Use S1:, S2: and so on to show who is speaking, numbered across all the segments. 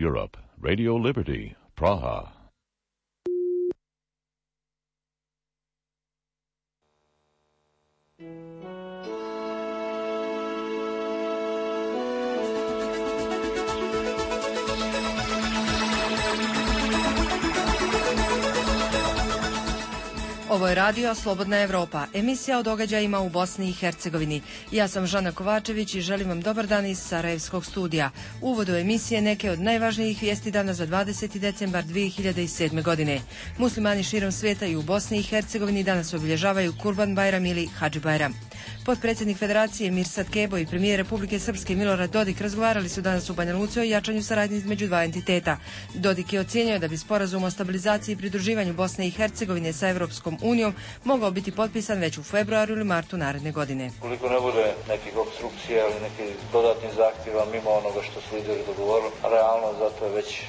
S1: Europe, Radio Liberty, Praha.
S2: Ovo je radio Slobodna Evropa, emisija o događajima u Bosni i Hercegovini. Ja sam Žana Kovačević i želim vam dobar dan iz Sarajevskog studija. U uvodu emisije neke od najvažnijih vijesti dana za 20. decembar 2007. godine. Muslimani širom svijeta i u Bosni i Hercegovini danas obilježavaju Kurban Bajram ili Hadži Bajram. Potpredsjednik Federacije Mirsad Kebo i premijer Republike Srpske Milorad Dodik razgovarali su danas u Banja Luci o jačanju saradnje između dva entiteta. Dodik je ocijenio da bi sporazum o stabilizaciji i pridruživanju Bosne i Hercegovine sa Europskom unijom mogao biti potpisan već u februaru ili martu naredne godine.
S3: Koliko ne bude nekih opstrukcija ili nekih dodatnih zahtjeva mimo onoga što su lideri dogovorili, realno zato je već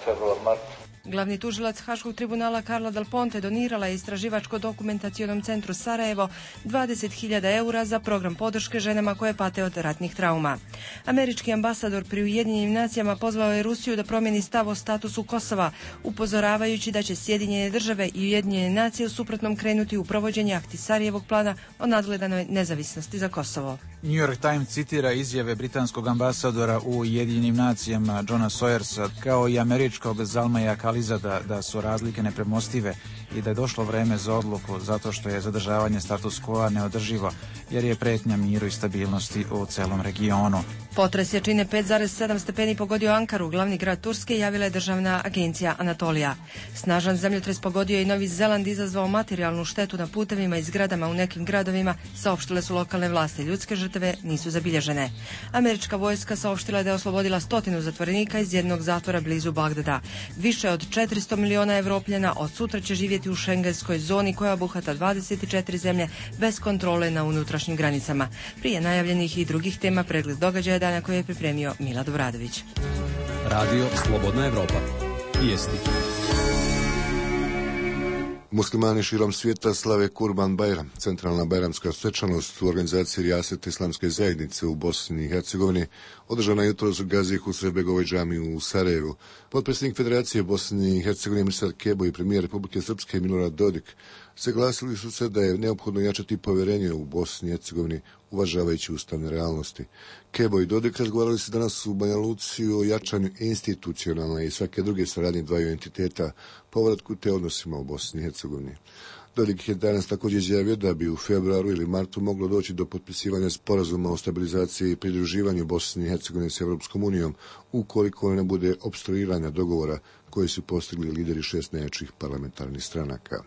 S3: februar-mart.
S2: Glavni tužilac Haškog tribunala Carla Del Ponte donirala je Istraživačko-dokumentacionom centru Sarajevo 20.000 eura za program podrške ženama koje pate od ratnih trauma. Američki ambasador pri Ujedinjenim nacijama pozvao je Rusiju da promijeni stav o statusu Kosova, upozoravajući da će Sjedinjene države i Ujedinjene nacije u suprotnom krenuti u provođenje Ahtisarijevog plana o nadgledanoj nezavisnosti za Kosovo.
S4: New York Times citira izjave britanskog ambasadora u Ujedinjenim nacijama Johna Sawyersa kao i američkog Zalmaja Khalizada da su razlike nepremostive i da je došlo vreme za odluku zato što je zadržavanje status quo neodrživo jer je pretnja miru i stabilnosti u celom regionu.
S2: Potres jačine 5,7 stepeni pogodio Ankaru, glavni grad Turske, javila je državna agencija Anatolija. Snažan zemljotres pogodio je i Novi Zeland, izazvao materijalnu štetu na putevima i zgradama u nekim gradovima, saopštile su lokalne vlasti. Ljudske žrtve nisu zabilježene. Američka vojska saopštila je da je oslobodila 100 zatvorenika iz jednog zatvora blizu Bagdada. Više od 400 miliona Evropljana od sutra će živjeti u šengenskoj zoni koja obuhvata 24 zemlje bez kontrole na unutrašnjim granicama. Prije najavljenih i drugih tema pregled događaja dana koje je pripremio Milad Obradović.
S5: Radio Slobodna Evropa. Vijesti.
S6: Muslimani širom svijeta slave Kurban Bajram, centralna bajramska svečanost u organizaciji Rijaset Islamske zajednice u Bosni i Hercegovini, održana jutros u Gazi Husrevbegovoj džamiji u Sarajevu. Potpredsjednik Federacije Bosne i Hercegovine Mirsad Kebo i premijer Republike Srpske Milorad Dodik saglasili su se da je neophodno jačati povjerenje u Bosni i Hercegovini, uvažavajući ustavne realnosti. Kebo i Dodik razgovarali se danas u Banja Luci o jačanju institucionalne i svake druge saradnje dvaju entiteta, povratku te odnosima u Bosni i Hercegovini. Dodik je danas također izjavio da bi u februaru ili martu moglo doći do potpisivanja sporazuma o stabilizaciji i pridruživanju Bosne i Hercegovine s Europskom unijom, ukoliko ne bude opstruiranja dogovora koji su postigli lideri 6 najjačih parlamentarnih stranaka.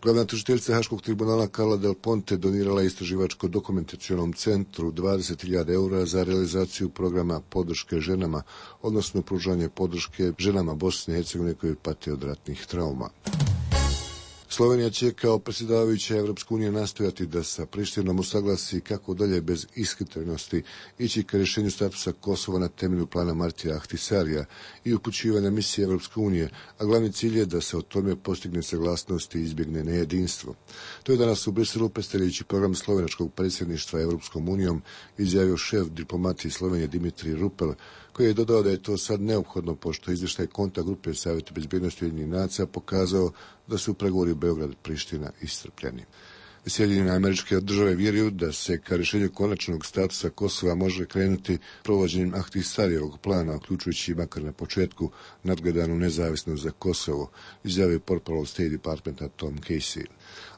S6: Glavna tužiteljica Haškog tribunala Carla Del Ponte donirala Istraživačko-dokumentacionom centru 20.000 eura za realizaciju programa podrške ženama, odnosno pružanje podrške ženama Bosne i Hercegovine koje pate od ratnih trauma. Slovenija će kao predsjedavajuća Evropske unije nastojati da sa Prištinom usaglasi kako dalje bez ishitrenosti ići ka rješenju statusa Kosova na temelju plana Martija Ahtisarija i upućivanja misije Evropske unije, a glavni cilj je da se o tome postigne saglasnost i izbjegne nejedinstvo. To je danas u Briselu predstavljajući program slovenačkog predsjedništva Evropskom unijom izjavio šef diplomatije Slovenije Dimitrij Rupel, koji je dodao da je to sad neophodno pošto izvještaj konta grupe Savjeta bezbjednosti Ujedinjenih nacija pokazao da su pregovori Beograd-Priština iscrpljeni. Sjedinjene Američke Države vjeruju da se ka rješenju konačnog statusa Kosova može krenuti provođenjem Ahtisarijevog plana, uključujući makar na početku nadgledanu nezavisnost za Kosovo, izjavio portparol State Departmenta Tom Casey.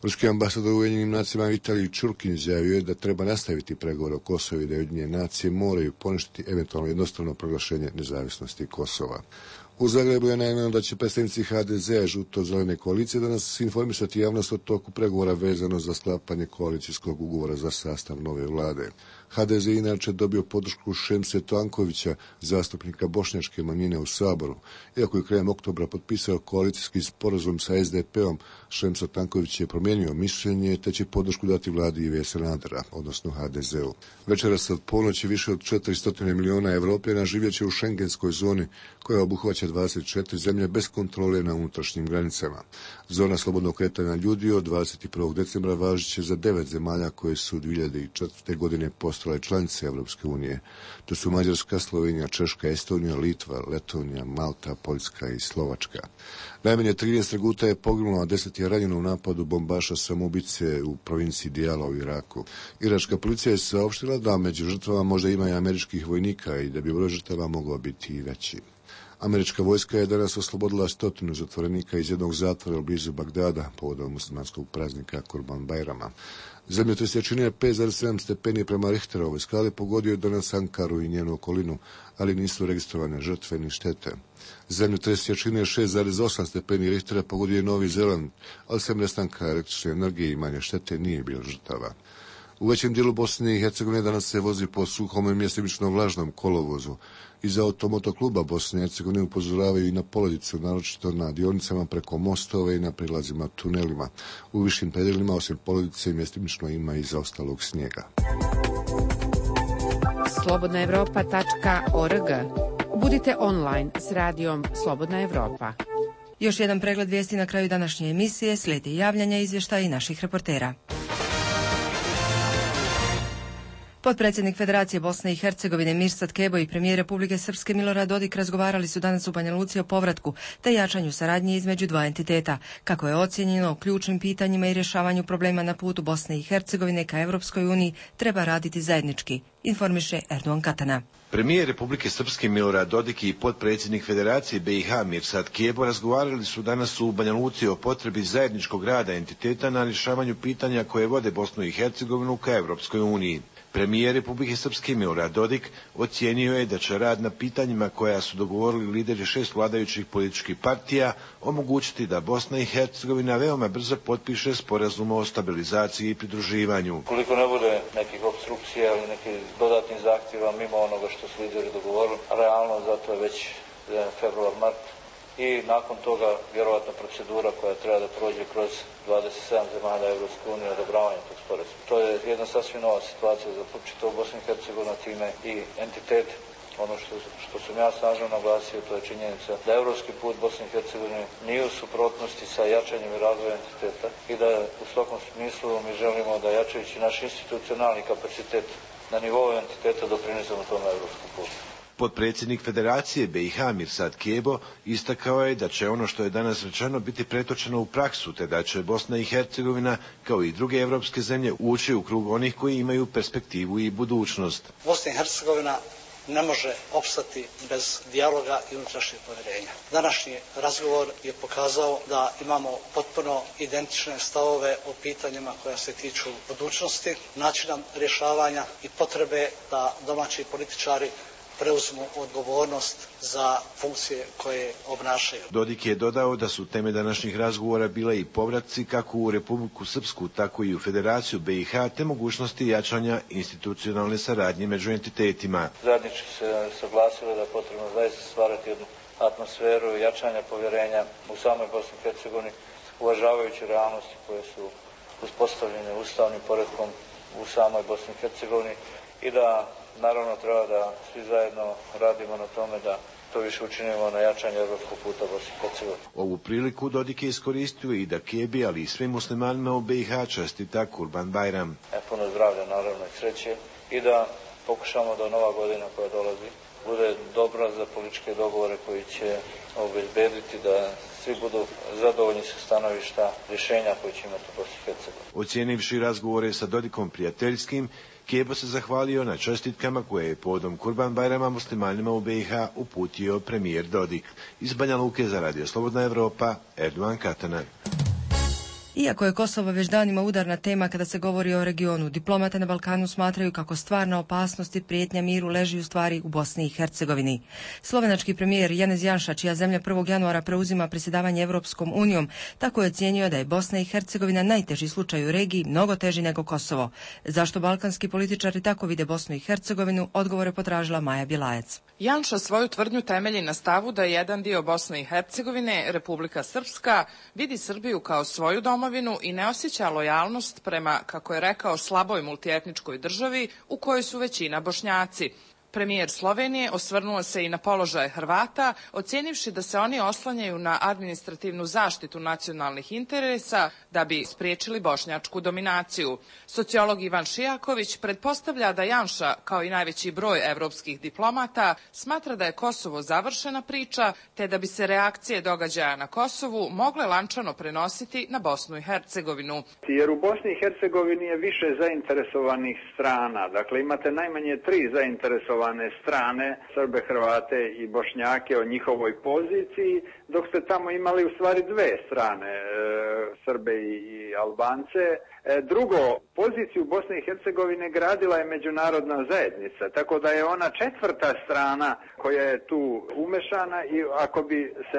S6: Ruski ambasador u Ujedinjenim nacijama Vitalij Čurkin izjavio je da treba nastaviti pregovore o Kosovu i da Ujedinjene nacije moraju poništiti eventualno jednostrano proglašenje nezavisnosti Kosova. U Zagrebu je najavljeno da će predstavnici HDZ-a žuto-zelene koalicije danas informisati javnost o toku pregovora vezano za sklapanje koalicijskog ugovora za sastav nove vlade. HDZ je inače dobio podršku Šemse Tankovića, zastupnika bošnjačke manjine u Saboru. Iako je krajem oktobra potpisao koalicijski sporazum sa SDP-om, Šemso Tanković je promijenio mišljenje te će podršku dati vladi Ive Sanadera, odnosno HDZ-u. Večeras od ponoći više od 400 miliona Evropljana živjet će u šengenskoj zoni koja obuhvaća 24 zemlje bez kontrole na unutrašnjim granicama. Zona slobodnog kretanja ljudi od 21. decembra važit će za 9 zemalja koje su 2004. godine postale postale članice Evropske unije. To su Mađarska, Slovenija, Češka, Estonija, Litva, Letonija, Malta, Poljska i Slovačka. Najmanje 13 reguta je poginulo, a 10 je ranjeno u napadu bombaša samoubice u provinciji Dijala u Iraku. Iračka policija je saopštila da među žrtvama možda ima i američkih vojnika i da bi broj žrtava mogao biti i veći. Američka vojska je danas oslobodila 100 zatvorenika iz jednog zatvora blizu Bagdada povodom muslimanskog praznika Kurban Bajrama. Zemljotres je činio 5,7 stepeni prema Richterovoj skali, pogodio danas Ankaru i njenu okolinu, ali nisu registrovane žrtve ni štete. Zemljotres je činio 6,8 stepeni Richtera, pogodio je Novi Zeland, ali sem nestanka električne energije i manje štete nije bilo žrtava. U većem dijelu Bosne i Hercegovine danas se vozi po suhom i mjestimično vlažnom kolovozu. Iz automotokluba Bosne i Hercegovine upozoravaju i na poledicu, naročito na dionicama preko mostove i na prilazima tunelima. U višim predjelima osim poledice mjestimično ima i zaostalog snijega.
S7: Slobodnaevropa.org. Budite online s radijom Slobodna Evropa.
S2: Još jedan pregled vijesti na kraju današnje emisije, slijedi javljanja, izvještaja i naših reportera. Potpredsjednik Federacije Bosne i Hercegovine Mirsad Kebo i premijer Republike Srpske Milorad Dodik razgovarali su danas u Banja Luci o povratku te jačanju saradnje između dva entiteta, kako je ocijenjeno o ključnim pitanjima i rješavanju problema na putu Bosne i Hercegovine ka Europskoj uniji treba raditi zajednički, informiše Erdogan Katana.
S8: Premijer Republike Srpske Milorad Dodik i potpredsjednik Federacije BiH Mirsad Kebo razgovarali su danas u Banja Luci o potrebi zajedničkog rada entiteta na rješavanju pitanja koje vode Bosnu i Hercegovinu ka Europskoj uniji. Premijer Republike Srpske Milorad Dodik ocijenio je da će rad na pitanjima koja su dogovorili lideri 6 vladajućih političkih partija omogućiti da Bosna i Hercegovina veoma brzo potpiše sporazum o stabilizaciji i pridruživanju.
S3: Koliko ne bude nekih opstrukcija ili nekih dodatnih zahtjeva mimo onoga što su lideri dogovorili, realno zato je već februar, mart i nakon toga vjerovatno procedura koja treba da prođe kroz 27 zemalja Evropske unije odobravanje tog sporazuma. To je jedna sasvim nova situacija za čitavu Bosnu i Hercegovinu, time i entitet. Ono što sam ja snažno naglasio, to je činjenica da evropski put Bosne i Hercegovine nije u suprotnosti sa jačanjem i razvojem entiteta i da u svakom smislu mi želimo da jačajući naš institucionalni kapacitet na nivou entiteta doprinesemo tome evropskom putu.
S8: Potpredsjednik Federacije BiH Mirsad Kebo istakao je da će ono što je danas rečeno biti pretočeno u praksu, te da će Bosna i Hercegovina, kao i druge evropske zemlje, ući u krug onih koji imaju perspektivu i budućnost.
S9: Bosna i Hercegovina ne može opstati bez dijaloga i unutrašnjeg povjerenja. Današnji razgovor je pokazao da imamo potpuno identične stavove o pitanjima koja se tiču budućnosti, načina rješavanja i potrebe da domaći političari preuzmu odgovornost za funkcije koje obnašaju.
S8: Dodik je dodao da su teme današnjih razgovora bile i povratci kako u Republiku Srpsku, tako i u Federaciju BiH, te mogućnosti jačanja institucionalne saradnje među entitetima.
S3: Zajednički se saglasilo da je potrebno zaista stvarati jednu atmosferu jačanja povjerenja u samoj Bosni i Hercegovini, uvažavajući realnosti koje su uspostavljene ustavnim poretkom u samoj Bosni i Hercegovini i da naravno treba da svi zajedno radimo na tome da to više učinimo na jačanju evropskog puta Bosne i Hercegovine.
S8: Ovu priliku Dodik je iskoristio i da Kebi, ali i svim muslimanima u BiH čestita Kurban Bajram.
S3: Puno zdravlja, naravno, i sreće i da pokušamo da nova godina koja dolazi bude dobra za političke dogovore koji će obezbediti da svi budu zadovoljni sa stanovišta rješenja koje će imati u Bosni i Hercegovini.
S8: Ocijenivši razgovore sa Dodikom prijateljskim, Kebo se zahvalio na čestitkama koje je povodom Kurban Bajrama muslimanima u BiH uputio premijer Dodik. Iz Banja Luke za Radio Slobodna Evropa, Erdogan Katana.
S2: Iako je Kosovo već danima udarna tema kada se govori o regionu, diplomate na Balkanu smatraju kako stvarna opasnost i prijetnja miru leži u stvari u Bosni i Hercegovini. Slovenački premijer Janez Janša, čija zemlja 1. januara preuzima predsjedavanje Evropskom unijom, tako je ocijenio da je Bosna i Hercegovina najteži slučaj u regiji, mnogo teži nego Kosovo. Zašto balkanski političari tako vide Bosnu i Hercegovinu, odgovore potražila Maja Bjelajac.
S10: Janša svoju tvrdnju temelji na stavu da jedan dio Bosne i Hercegovine, Republika Srpska, vidi Srbiju kao svoju domovinu i ne osjeća lojalnost prema, kako je rekao, slaboj multietničkoj državi u kojoj su većina Bošnjaci. Premijer Slovenije osvrnuo se i na položaj Hrvata, ocijenivši da se oni oslanjaju na administrativnu zaštitu nacionalnih interesa da bi spriječili bošnjačku dominaciju. Sociolog Ivan Šijaković pretpostavlja da Janša, kao i najveći broj evropskih diplomata, smatra da je Kosovo završena priča, te da bi se reakcije događaja na Kosovu mogle lančano prenositi na Bosnu i Hercegovinu.
S11: Jer u Bosni i Hercegovini je više zainteresovanih strana. Dakle, imate najmanje 3 zainteresovane strane, Srbe, Hrvate i Bošnjake o njihovoj poziciji, dok ste tamo imali u stvari 2 strane, Srbe i Albance. Drugo, poziciju Bosne i Hercegovine gradila je međunarodna zajednica, tako da je ona 4. strana koja je tu umešana i ako bi se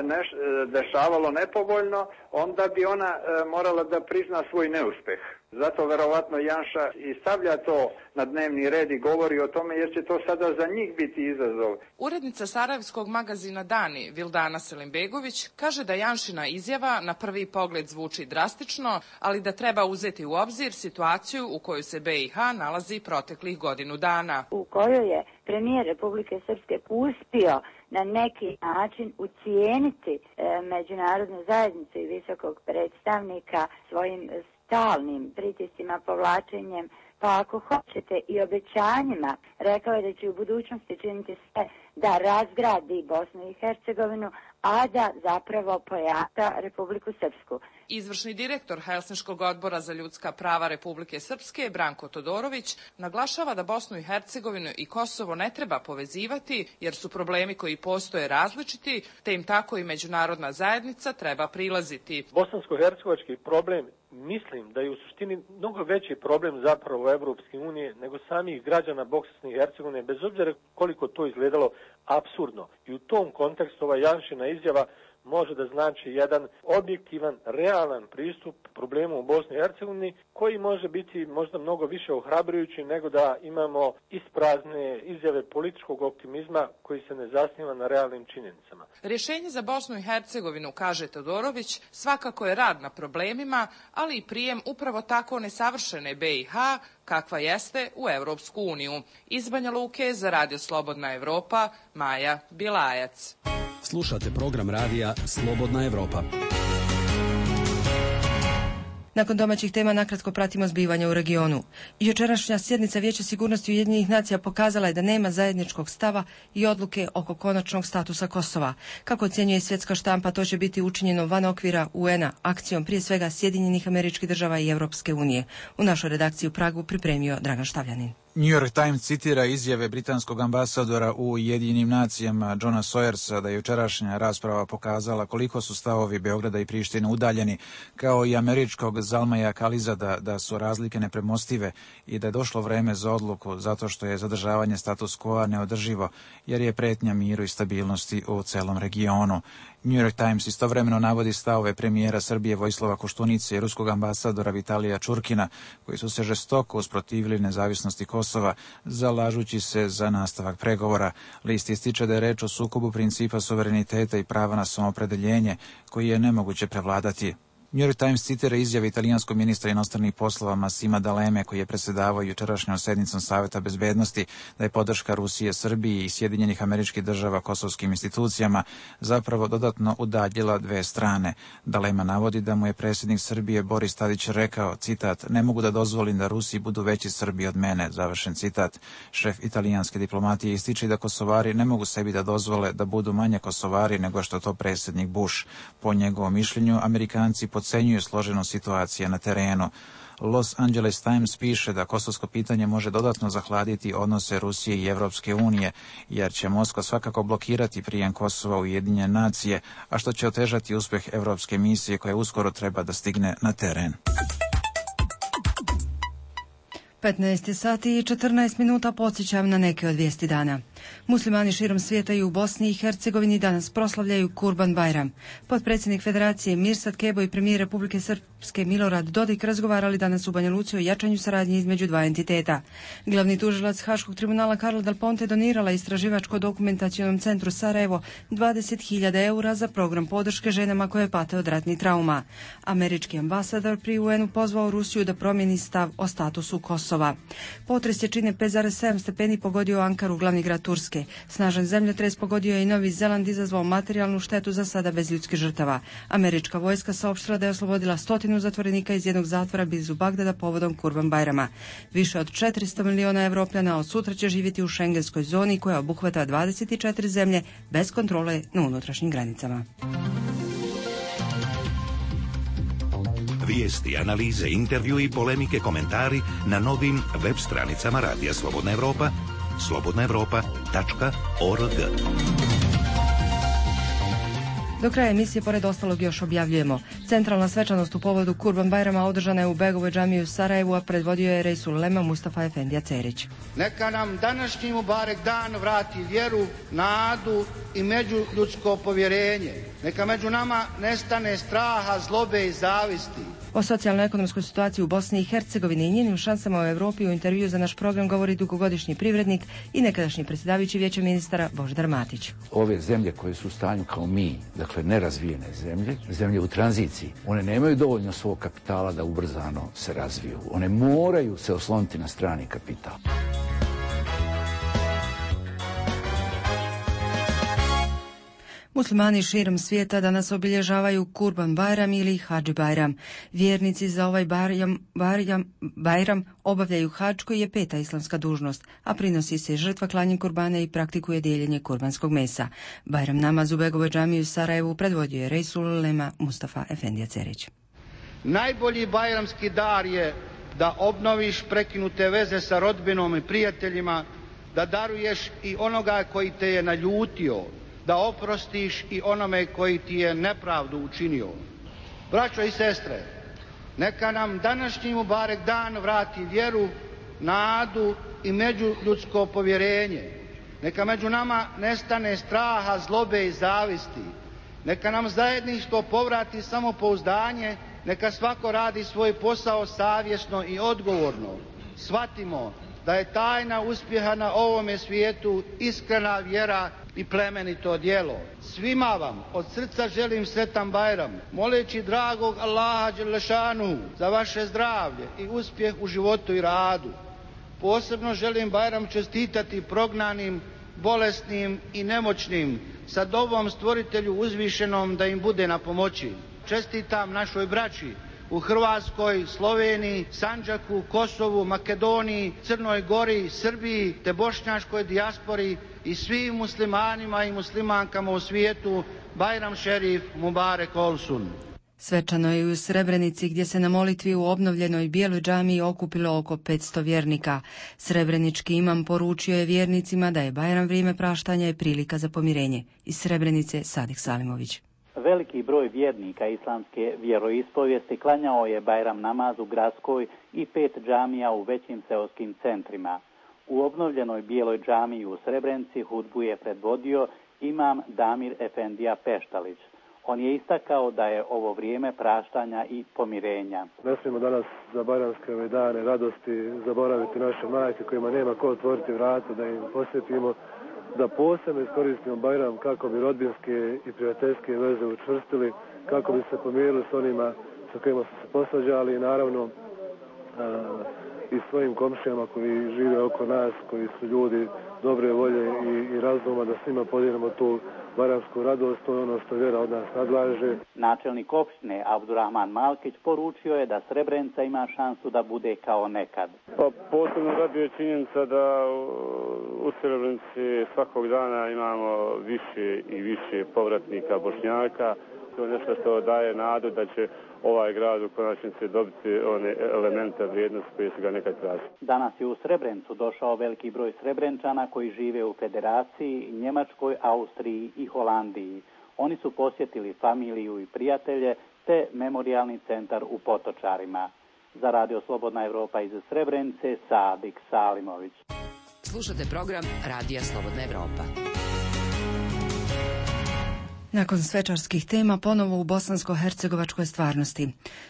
S11: dešavalo nepovoljno, onda bi ona morala da prizna svoj neuspeh. Zato verovatno Janša i stavlja to na dnevni red i govori o tome jer će to sada za njih biti izazov.
S10: Urednica sarajevskog magazina Dani, Vildana Selimbegović, kaže da Janšina izjava na prvi pogled zvuči drastično, ali da treba uzeti u obzir situaciju u kojoj se BiH nalazi proteklih godinu dana.
S12: U kojoj je premijer Republike Srpske uspio na neki način ucijeniti međunarodnu zajednicu i visokog predstavnika svojim stalnim pritiscima, povlačenjem, pa ako hoćete i obećanjima. Rekao je da će u budućnosti činiti sve da razgradi Bosnu i Hercegovinu, a da zapravo pojača Republiku Srpsku.
S10: Izvršni direktor Helsinškog odbora za ljudska prava Republike Srpske, Branko Todorović, naglašava da Bosnu i Hercegovinu i Kosovo ne treba povezivati, jer su problemi koji postoje različiti, te im tako i međunarodna zajednica treba prilaziti.
S13: Bosansko-hercegovački problem, mislim da je u suštini mnogo veći problem zapravo Evropske unije nego samih građana Bosne i Hercegovine, bez obzira koliko to izgledalo apsurdno. I u tom kontekstu ova Janšina izjava može da znači jedan objektivan, realan pristup problemu u Bosni i Hercegovini, koji može biti možda mnogo više ohrabrujući nego da imamo isprazne izjave političkog optimizma koji se ne zasniva na realnim činjenicama.
S10: Rješenje za Bosnu i Hercegovinu, kaže Todorović, svakako je rad na problemima, ali i prijem upravo tako nesavršene BiH, kakva jeste u Evropsku uniju. Iz Banja Luke za Radio Slobodna Evropa, Maja Bilajac.
S5: Slušate program radija Slobodna Evropa.
S2: Nakon domaćih tema nakratko pratimo zbivanja u regionu. Jučerašnja sjednica Vijeća sigurnosti Ujedinjenih nacija pokazala je da nema zajedničkog stava i odluke oko konačnog statusa Kosova. Kako ocjenjuje svjetska štampa, to će biti učinjeno van okvira UN-a, akcijom prije svega Sjedinjenih Američkih Država i Europske unije. U našoj redakciji u Pragu pripremio Dragan Štavljanin.
S4: New York Times citira izjave britanskog ambasadora u Ujedinjenim nacijama Johna Sawyersa da je jučerašnja rasprava pokazala koliko su stavovi Beograda i Prištine udaljeni, kao i američkog Zalmaja Kalizada da su razlike nepremostive i da je došlo vreme za odluku zato što je zadržavanje status quo neodrživo jer je pretnja miru i stabilnosti u celom regionu. New York Times istovremeno navodi stavove premijera Srbije Vojislava Koštunice i ruskog ambasadora Vitalija Čurkina, koji su se žestoko usprotivili nezavisnosti Kosova, zalažući se za nastavak pregovora. List ističe da je reč o sukobu principa suvereniteta i prava na samoopredeljenje, koji je nemoguće prevladati. New York Times citira izjave italijanskog ministra inostranih poslova Massima D'Aleme, koji je predsjedavao jučerašnjom sednicom Saveta bezbednosti, da je podrška Rusije, Srbiji i Sjedinjenih Američkih Država kosovskim institucijama zapravo dodatno udaljila 2 strane. D'Alema navodi da mu je predsjednik Srbije Boris Tadić rekao, citat, ne mogu da dozvolim da Rusi budu veći Srbi od mene, završen citat. Šef italijanske diplomatije ističe da Kosovari ne mogu sebi da dozvole da budu manje Kosovari nego što to predsjednik Bush. Po njegovom mišljenju, Amerikanci podcenjuju složenost situacije na terenu. Los Angeles Times piše da kosovsko pitanje može dodatno zahladiti odnose Rusije i Evropske unije, jer će Moskva svakako blokirati prijem Kosova u Ujedinjene nacije, a što će otežati uspjeh evropske misije koja uskoro treba da stigne na teren.
S2: 15 sati i 14 minuta, podsjećam na neke od vijesti dana. Muslimani širom svijeta i u Bosni i Hercegovini danas proslavljaju Kurban Bajram. Potpredsjednik Federacije Mirsad Kebo i premijer Republike Srpske Milorad Dodik razgovarali danas u Banja Luci o jačanju saradnje između dva entiteta. Glavni tužilac Haškog tribunala Carla Del Ponte donirala Istraživačko-dokumentacionom centru Sarajevo 20.000 eura za program podrške ženama koje pate od ratnih trauma. Američki ambasador pri UN-u pozvao Rusiju da promijeni stav o statusu Kosova. Potres jačine 5,7 stepeni pogodio Ankaru, glavni grad Turske. Snažan zemljotres pogodio je i Novi Zeland, izazvao materijalnu štetu, za sada bez ljudskih žrtava. Američka vojska saopštila da je oslobodila 100 zatvorenika iz jednog zatvora blizu Bagdada povodom Kurban Bajrama. Više od 400 miliona Evropljana od sutra će živjeti u šengenskoj zoni koja obuhvata 24 zemlje bez kontrole na unutrašnjim granicama.
S14: Vijesti, analize, intervju i polemike, komentari na novim web stranicama Radija Slobodna Evropa, slobodnaevropa.org.
S2: Do kraja emisije, pored ostalog, još objavljujemo. Centralna svečanost u povodu Kurban Bajrama održana je u Begovoj džamiji u Sarajevu, a predvodio je Rejsul Ulema Mustafa Efendija Cerić.
S15: Neka nam današnji Mubarek dan vrati vjeru, nadu i međuljudsko povjerenje. Neka među nama nestane straha, zlobe i zavisti.
S2: O socijalno-ekonomskoj situaciji u Bosni i Hercegovini i njenim šansama u Europi u intervju za naš program govori dugogodišnji privrednik i nekadašnji predsjedavajući Vijeća ministara Božidar Matić.
S16: Ove zemlje koje su u stanju kao mi, dakle nerazvijene zemlje u tranziciji, one nemaju dovoljno svog kapitala da ubrzano se razviju. One moraju se osloniti na strani kapital.
S2: Muslimani širom svijeta danas obilježavaju Kurban Bajram ili Hadži Bajram. Vjernici za ovaj Bajram obavljaju hadž, koji je 5. islamska dužnost, a prinosi se žrtva klanjem kurbana i praktikuje dijeljenje kurbanskog mesa. Bajram namaz u Begovoj džamiji u Sarajevu predvodio je Rejsul Ulema Mustafa Efendija Cerić.
S15: Najbolji bajramski dar je da obnoviš prekinute veze sa rodbinom i prijateljima, da daruješ i onoga koji te je naljutio, da oprostiš i onome koji ti je nepravdu učinio. Braćo i sestre, neka nam današnji Mubarek dan vrati vjeru, nadu i međuljudsko povjerenje. Neka među nama nestane straha, zlobe i zavisti. Neka nam zajedništvo povrati samopouzdanje. Neka svako radi svoj posao savjesno i odgovorno. Shvatimo da je tajna uspjeha na ovome svijetu iskrena vjera i plemenito djelo. Svima vam od srca želim sretan Bajram, moleći dragog Allaha Đelešanu za vaše zdravlje i uspjeh u životu i radu. Posebno želim Bajram čestitati prognanim, bolesnim i nemoćnim, sa dovom Stvoritelju uzvišenom da im bude na pomoći. Čestitam našoj braći u Hrvatskoj, Sloveniji, Sandžaku, Kosovu, Makedoniji, Crnoj Gori, Srbiji te bošnjačkoj dijaspori i svim muslimanima i muslimankama u svijetu Bajram Šerif Mubarek Olsun.
S2: Svečano je i u Srebrenici, gdje se na molitvi u obnovljenoj Bijeloj džamiji okupilo oko 500 vjernika. Srebrenički imam poručio je vjernicima da je Bajram vrijeme praštanja i prilika za pomirenje. Iz Srebrenice Sadik Salimović.
S17: Veliki broj vjernika islamske vjeroispovijesti klanjao je Bajram namaz u gradskoj i 5 džamija u većim seoskim centrima. U obnovljenoj Bijeloj džamiji u Srebrenici hudbu je predvodio imam Damir Efendija Peštalić. On je istakao da je ovo vrijeme praštanja i pomirenja.
S18: Ne smijemo danas za bajramske ove dane radosti zaboraviti naše majke kojima nema ko otvoriti vrata, da im posjetimo, da posebno iskoristimo Bajram kako bi rodbinske i prijateljske veze učvrstili, kako bi se pomirili s onima sa kojima su se posvađali i naravno i svojim komšijama koji žive oko nas, koji su ljudi dobre volje i razuma, da svima podijelimo tu bajramsku radost, to je ono što vjera od nas nadlaže.
S17: Načelnik opštine Abdurrahman Malkić poručio je da Srebrenica ima šansu da bude kao nekad.
S19: Pa posebno raduje činjenica da u Srebrenici svakog dana imamo više i više povratnika Bošnjaka. To je nešto što daje nadu da će ovaj grad u konačnici dobiti one elemente vrijednosti koje su ga nekad tražili.
S17: Danas je u Srebrenicu došao veliki broj Srebrenčana koji žive u Federaciji, Njemačkoj, Austriji i Holandiji. Oni su posjetili familiju i prijatelje te memorijalni centar u Potočarima. Za Radio Slobodna Evropa iz Srebrenice, Sadik Salimović.
S7: Slušate program Radija Slobodna Evropa.
S2: Nakon svečarskih tema ponovo u bosansko-hercegovačkoj stvarnosti.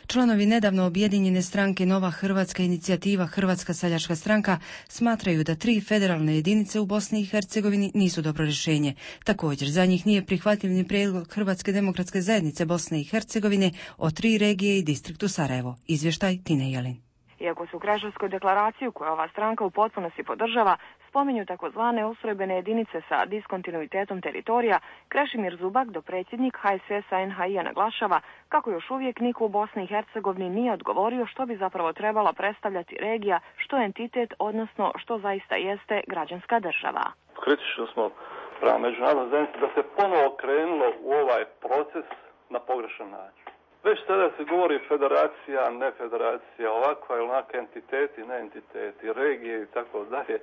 S2: Članovi nedavno objedinjene stranke Nova Hrvatska inicijativa Hrvatska seljačka stranka smatraju da 3 federalne jedinice u Bosni i Hercegovini nisu dobro rješenje. Također, za njih nije prihvatljiv ni prijedlog Hrvatske demokratske zajednice Bosne i Hercegovine o 3 regije i distriktu Sarajevo. Izvještaj Tine Jelin.
S20: Iako su u Kreševskoj deklaraciju koju ova stranka u potpunosti podržava spominju takozvane ustrojbene jedinice sa diskontinuitetom teritorija, Krešimir Zubak, dopredsjednik HSS-a NHI-a, naglašava kako još uvijek niko u Bosni i Hercegovini nije odgovorio što bi zapravo trebala predstavljati regija, što je entitet, odnosno što zaista jeste građanska država.
S21: Kritično smo prema međunarodnoj zajednici da se ponovo krenulo u ovaj proces na pogrešan način. Već sada se govori federacija, ne federacija, ovakva ili onaka entiteti, ne entiteti, regije i tako dalje.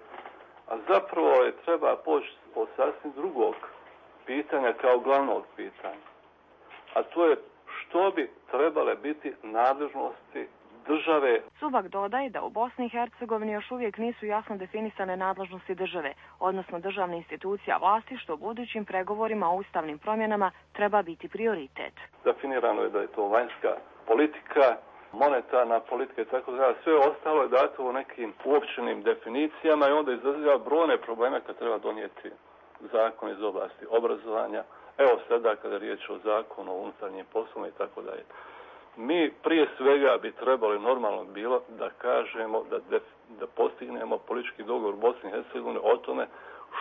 S21: A zapravo je treba poći od sasvim drugog pitanja kao glavnog pitanja. A to je što bi trebale biti nadležnosti države.
S20: Subak dodaje da u Bosni i Hercegovini još uvijek nisu jasno definisane nadležnosti države, odnosno državne institucija vlasti, što u budućim pregovorima o ustavnim promjenama treba biti prioritet.
S21: Definirano je da je to vanjska politika, monetarna politika i tako dalje. Sve ostalo je dato u nekim uopćenim definicijama i onda izaziva brojne probleme kad treba donijeti zakon iz oblasti obrazovanja. Evo sada kada je riječ o zakonu o unutarnjim poslovima i tako dalje. Mi prije svega bi trebali normalno bilo da kažemo da postignemo politički dogovor u Bosni i Hercegovini o tome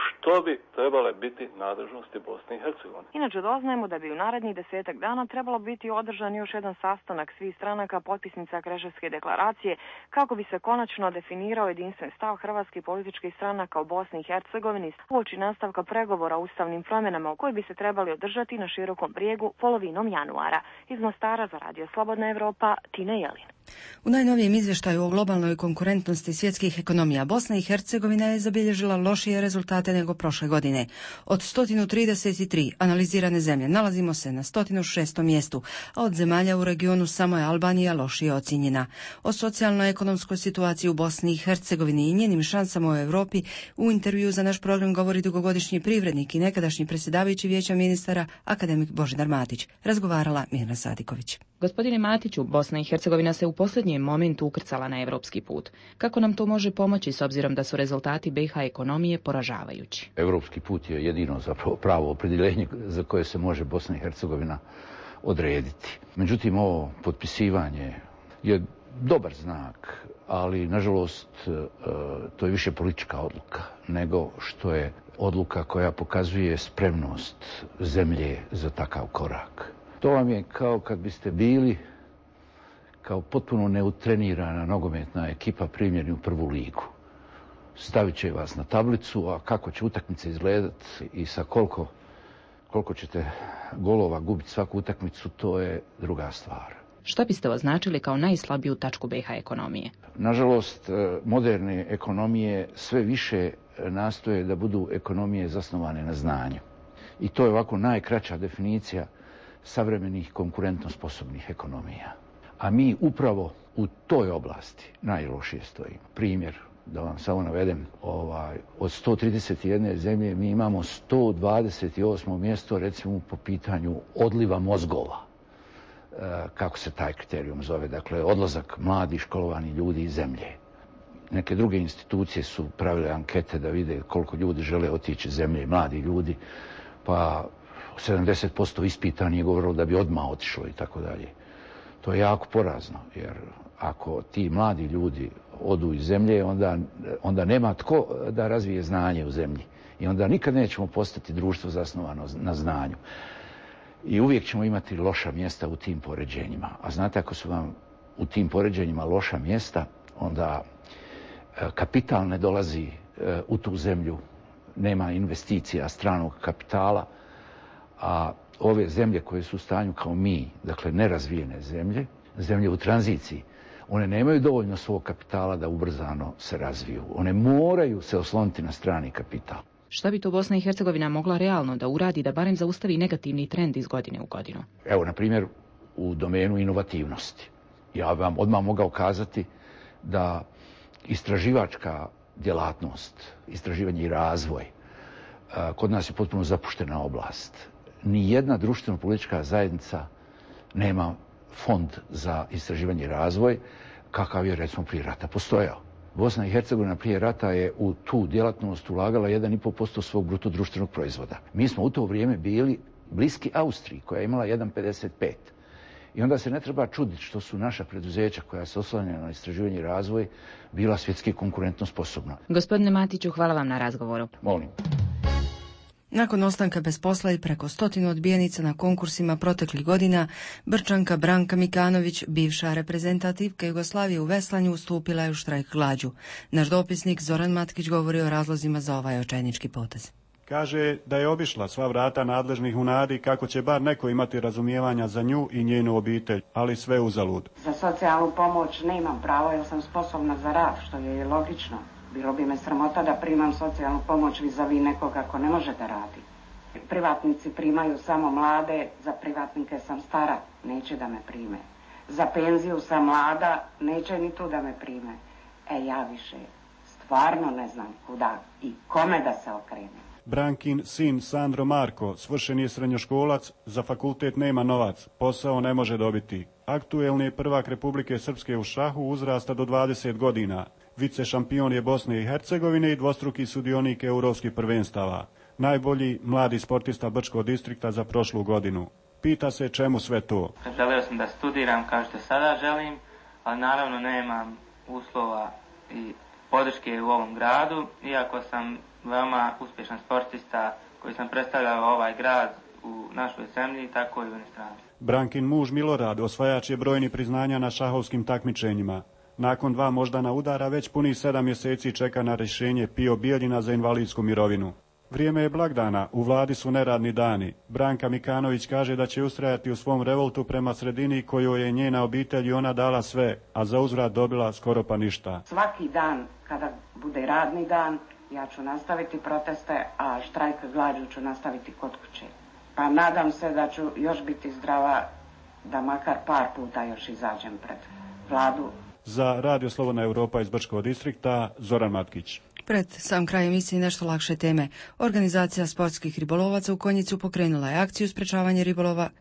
S21: što bi trebale biti nadležnosti Bosne i Hercegovine.
S20: Inače doznajemo da bi u narednih 10 dana trebalo biti održan još jedan sastanak svih stranaka potpisnica Kreševske deklaracije kako bi se konačno definirao jedinstven stav hrvatskih političkih stranaka u Bosni i Hercegovini uoči nastavka pregovora o ustavnim promjenama koji bi se trebali održati na Širokom brijegu polovinom januara. Iz Mostara za Radio Slobodna Evropa, Tine Jelin.
S2: U najnovijem izvještaju o globalnoj konkurentnosti svjetskih ekonomija Bosna i Hercegovina je zabilježila lošije rezultate nego prošle godine. Od 133 analizirane zemlje nalazimo se na 106. mjestu, a od zemalja u regionu samo je Albanija lošije ocijenjena. O socijalno-ekonomskoj situaciji u Bosni i Hercegovini i njenim šansama u Europi u intervju za naš program govori dugogodišnji privrednik i nekadašnji predsjedavajući Vijeća ministara akademik Božidar Matić. Razgovarala Mirna Sadiković.
S22: Gospodine Matiću, Bosna i Hercegovina se u posljednjem momentu ukrcala na evropski put. Kako nam to može pomoći s obzirom da su rezultati BiH ekonomije poražavajući?
S16: Evropski put je jedino zapravo pravo opredjeljenje za koje se može Bosna i Hercegovina odrediti. Međutim, ovo potpisivanje je dobar znak, ali nažalost to je više politička odluka nego što je odluka koja pokazuje spremnost zemlje za takav korak. To vam je kao kad biste bili kao potpuno neutrenirana nogometna ekipa primljeni u prvu ligu. Stavit će vas na tablicu, a kako će utakmice izgledati i sa koliko ćete golova gubiti svaku utakmicu, to je druga stvar.
S22: Što biste označili kao najslabiju tačku BiH ekonomije?
S16: Nažalost, moderne ekonomije sve više nastoje da budu ekonomije zasnovane na znanju. I to je ovako najkraća definicija savremenih konkurentno sposobnih ekonomija. A mi upravo u toj oblasti najlošije stojimo. Primjer, da vam samo navedem, od 131 zemlje mi imamo 128. mjesto recimo po pitanju odliva mozgova. Kako se taj kriterijum zove, dakle odlazak mladih školovanih ljudi iz zemlje. Neke druge institucije su pravile ankete da vide koliko ljudi žele otići iz zemlje, mladi ljudi, pa 70% ispitanih je govorilo da bi odmah otišlo i tako dalje. To je jako porazno, jer ako ti mladi ljudi odu iz zemlje, onda nema tko da razvije znanje u zemlji. I onda nikad nećemo postati društvo zasnovano na znanju. I uvijek ćemo imati loša mjesta u tim poređenjima. A znate, ako su vam u tim poređenjima loša mjesta, onda kapital ne dolazi u tu zemlju, nema investicija stranog kapitala, a ove zemlje koje su u stanju kao mi, dakle nerazvijene zemlje u tranziciji, one nemaju dovoljno svog kapitala da ubrzano se razviju. One moraju se osloniti na strani kapital.
S22: Šta bi to Bosna i Hercegovina mogla realno da uradi da barem zaustavi negativni trend iz godine u godinu?
S16: Evo, na primjer, u domenu inovativnosti. Ja vam odmah mogao kazati da istraživačka djelatnost, istraživanje i razvoj. Kod nas je potpuno zapuštena oblast. Nijedna društveno-politička zajednica nema fond za istraživanje i razvoj, kakav je recimo prije rata postojao. Bosna i Hercegovina prije rata je u tu djelatnost ulagala 1,5% svog bruto društvenog proizvoda. Mi smo u to vrijeme bili bliski Austriji, koja je imala 1,55. I onda se ne treba čuditi što su naša preduzeća koja se oslanjaju na istraživanje i razvoj bila svjetski konkurentno sposobna.
S22: Gospodine Matiću, hvala vam na razgovoru.
S16: Molim.
S2: Nakon ostanka bez posla i preko 100 odbijenica na konkursima proteklih godina, Brčanka Branka Mikanović, bivša reprezentativka Jugoslavije u veslanju, ustupila je u štrajk glađu. Naš dopisnik Zoran Matkić govori o razlozima za ovaj očajnički potez.
S1: Kaže da je obišla sva vrata nadležnih u nadi kako će bar neko imati razumijevanja za nju i njenu obitelj, ali sve uzalud.
S6: Za socijalnu pomoć nemam pravo jer sam sposobna za rad, što je logično. Bilo bi me sramota da primam socijalnu pomoć vis-a-vis nekoga ko ne može da radi. Privatnici primaju samo mlade, za privatnike sam stara, neće da me prime. Za penziju sam mlada, neće ni tu da me prime. Ja više stvarno ne znam kuda i kome da se okrenem.
S1: Brankin sin Sandro Marko svršen je srednjoškolac, za fakultet nema novac, posao ne može dobiti. Aktuelni je prvak Republike Srpske u šahu uzrasta do 20 godina. Vice šampion je Bosne i Hercegovine i dvostruki sudionik europskih prvenstava. Najbolji mladi sportista Brčkog distrikta za prošlu godinu. Pita se čemu sve to.
S23: Želio sam da studiram kao što sada želim, ali naravno nemam uslova i podrške u ovom gradu, iako sam veoma uspješan sportista koji sam predstavljao ovaj grad u našoj zemlji, tako i u inostranstvu.
S1: Brankin muž Milorad osvajač je brojni priznanja na šahovskim takmičenjima. Nakon 2 moždana udara već punih 7 mjeseci čeka na rješenje Pio Bijeljina za invalidsku mirovinu. Vrijeme je blagdana, u vladi su neradni dani. Branka Mikanović kaže da će ustrajati u svom revoltu prema sredini kojoj je njena obitelj i ona dala sve, a za uzvrat dobila skoro pa ništa.
S6: Svaki dan kada bude radni dan, ja ću nastaviti proteste, a štrajk glađu ću nastaviti kod kuće. Pa nadam se da ću još biti zdrava, da makar par puta još izađem pred vladu.
S1: Za Radio Slobodna Europa iz Brčkog distrikta, Zoran Matkić.
S2: Pred sam kraj emisije nešto lakše teme. Organizacija sportskih ribolovaca u Konjicu pokrenula je akciju sprečavanja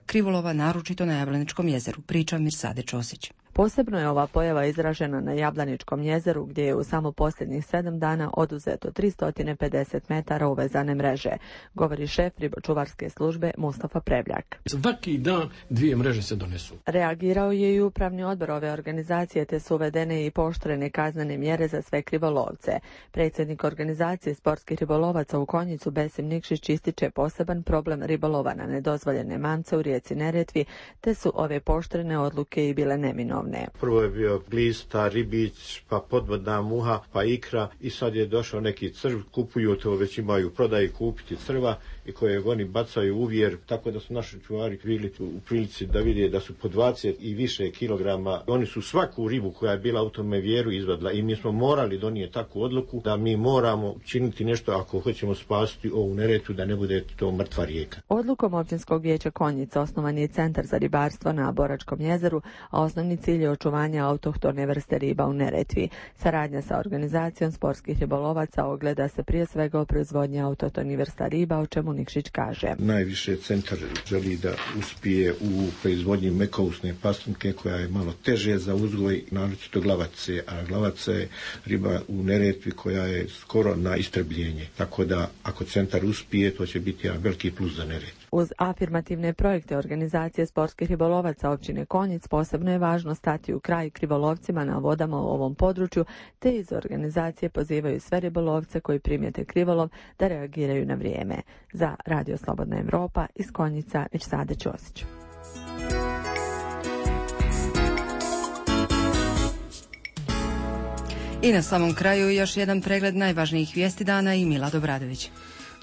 S2: krivolova, naročito na Jablaničkom jezeru. Priča Mirsade Ćosić.
S24: Posebno je ova pojava izražena na Jablaničkom jezeru, gdje je u samo posljednjih 7 dana oduzeto 350 metara uvezane mreže, govori šef ribočuvarske službe Mustafa Prevljak.
S25: Svaki dan 2 mreže se donesu.
S24: Reagirao je i upravni odbor ove organizacije, te su uvedene i pooštrene kaznene mjere za sve krivolovce. Predsjednik organizacije sportskih ribolovaca u Konjicu Besim Nikšić ističe poseban problem ribolova na nedozvoljene mance u rijeci Neretvi, te su ove pooštrene odluke i bile neminovne.
S26: Prvo je bio glista, ribić, pa podvodna muha, pa ikra i sad je došao neki crv, kupuju to, već imaju prodaji kupiti crva i koje oni bacaju u vjer, tako da su naši čuvari bili u prilici da vide da su po 20 i više kilograma. Oni su svaku ribu koja je bila u tome vjeru izvadila i mi smo morali donijeti takvu odluku da mi moramo činiti nešto ako hoćemo spasiti ovu Neretvu, da ne bude to mrtva rijeka.
S24: Odlukom Općinskog vijeća Konjica osnovan je Centar za ribarstvo na Boračkom jezeru, a osnovni cilj je očuvanje autohtone vrste riba u Neretvi. Saradnja sa organizacijom sportskih ribolovaca ogleda se prije svega u proizvodnji autohtonih vrsta riba, o čemu Nikšić kaže.
S26: Najviše centar želi da uspije u proizvodnji mekousne paslinke koja je malo teže za uzgoj, naročito glavace, a glavaca je riba u Neretvi koja je skoro na istrebljenje. Tako da ako centar uspije, to će biti jedan veliki plus za Neretvu.
S24: Uz afirmativne projekte organizacije sportskih ribolovaca općine Konjic posebno je važno stati u kraj krivolovcima na vodama u ovom području, te iz organizacije pozivaju sve ribolovce koji primijete krivolov da reagiraju na vrijeme. Za Radio Slobodna Europa iz Konjica Mirsade Ćosić.
S2: I na samom kraju još jedan pregled najvažnijih vijesti dana i Mila Dobradović.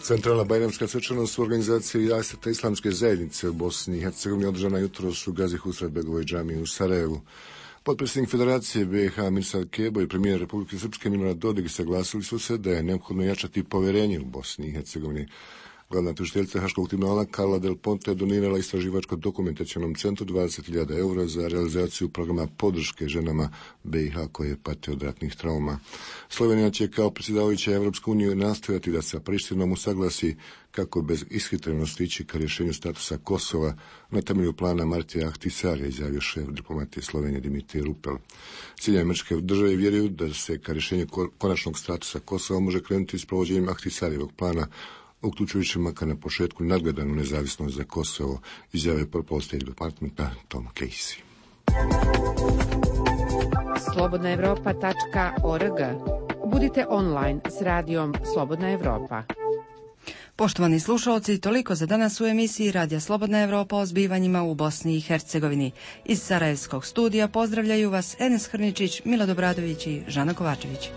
S27: Centralna bajramska svečanost u organizaciji Jaseta Islamske zajednice u Bosni i Hercegovini održana jutros u Gazi Husretbegovoj džamiji u Sarajevu. Potpredsjednik Federacije BiH Mirsad Kebo i premijer Republike Srpske Milorad Dodik saglasili su se da je neophodno jačati povjerenje u Bosni i Hercegovini. Glavna tužiteljica Haškog tribunala Carla Del Ponte je donirala istraživačko-dokumentacionom centru 20.000 eura za realizaciju programa podrške ženama BiH koje pate od ratnih trauma. Slovenija će kao predsjedavajuća Evropske unije nastojati da sa Prištinom usaglasi kako bez ishitrenosti ići ka rješenju statusa Kosova na temelju plana Martija Ahtisarija, izjavio šef diplomatije Slovenije Dimitrij Rupel. Sjedinjene Američke Države vjeruju da se ka rješenju konačnog statusa Kosova može krenuti s provođenjem Ahtisarijevog plana, uključujući makar na početku nadgledanu nezavisnost za Kosovo, izjave Purple State Departmenta Tom Casey.
S7: slobodnaevropa.org. Budite online s radijom Slobodna Evropa.
S2: Poštovani slušalci, toliko za danas u emisiji Radija Slobodna Evropa o zbivanjima u Bosni i Hercegovini. Iz Sarajevskog studija pozdravljaju vas Enes Hrničić, Milad Obradović i Žana Kovačević.